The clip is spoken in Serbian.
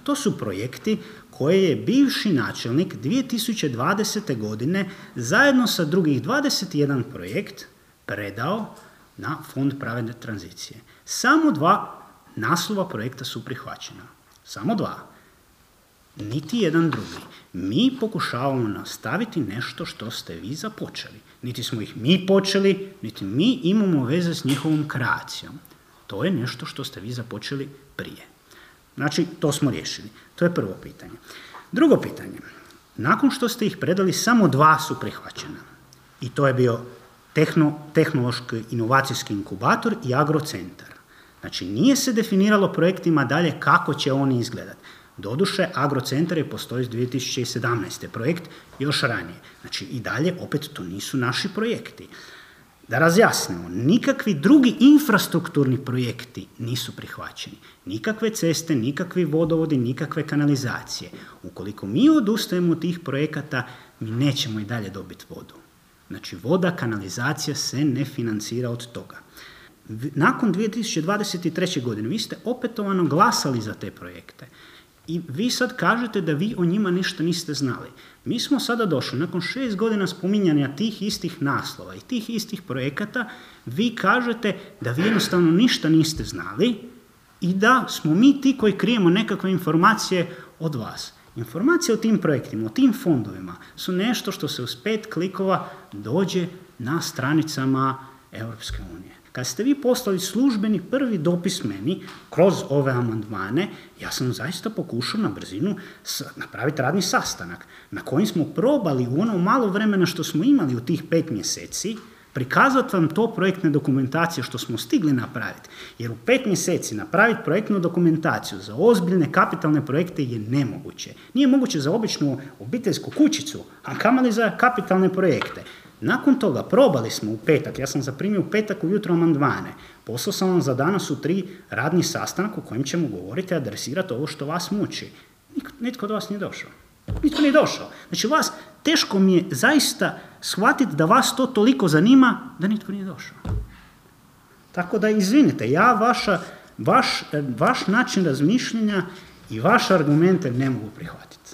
to su projekti koje je bivši načelnik 2020. godine zajedno sa drugih 21 projekt predao na Fond pravedne tranzicije. Samo 2 naslova projekta su prihvaćena. Samo 2. Niti jedan drugi. Mi pokušavamo nastaviti nešto što ste vi započeli. Niti smo ih mi počeli, niti mi imamo veze s njihovom kreacijom. To je nešto što ste vi započeli prije. Znači, to smo riješili. To je prvo pitanje. Drugo pitanje. Nakon što ste ih predali, samo 2 su prihvaćena. I to je bio tehnološki inovacijski inkubator i agrocentar. Znači, nije se definiralo projektima dalje kako će oni izgledati. Doduše, agrocentar je postoji iz 2017. projekt još ranije. Znači, i dalje, opet, to nisu naši projekti. Da razjasnimo, nikakvi drugi infrastrukturni projekti nisu prihvaćeni. Nikakve ceste, nikakvi vodovodi, nikakve kanalizacije. Ukoliko mi odustajemo od tih projekata, mi nećemo i dalje dobiti vodu. Znači, voda, kanalizacija se ne financira od toga. Nakon 2023. godine vi ste opetovano glasali za te projekte. I vi sad kažete da vi o njima ništa niste znali. Mi smo sada došli, nakon 6 godina spominjanja tih istih naslova i tih istih projekata, vi kažete da vi jednostavno ništa niste znali i da smo mi ti koji krijemo nekakve informacije od vas. Informacije o tim projektima, o tim fondovima su nešto što se uz 5 klikova dođe na stranicama Europske unije. Kad ste vi poslali službeni prvi dopis meni kroz ove amandmane, ja sam zaista pokušao na brzinu napraviti radni sastanak na kojem smo probali u ono malo vremena što smo imali u tih 5 mjeseci prikazati vam to projektne dokumentacije što smo stigli napraviti. Jer u 5 mjeseci napraviti projektnu dokumentaciju za ozbiljne kapitalne projekte je nemoguće. Nije moguće za običnu obiteljsku kućicu, a kamoli za kapitalne projekte. Nakon toga probali smo u petak, ja sam zaprimio u petak ujutro amandmane, poslao sam vam za danas u 3 radni sastanak u kojem ćemo govoriti i adresirati ovo što vas muči. Nitko od vas nije došao. Nitko nije došao. Znači vas, teško mi je zaista shvatiti da vas to toliko zanima da nitko nije došao. Tako da izvinite, ja vaš način razmišljanja i vaše argumente ne mogu prihvatiti.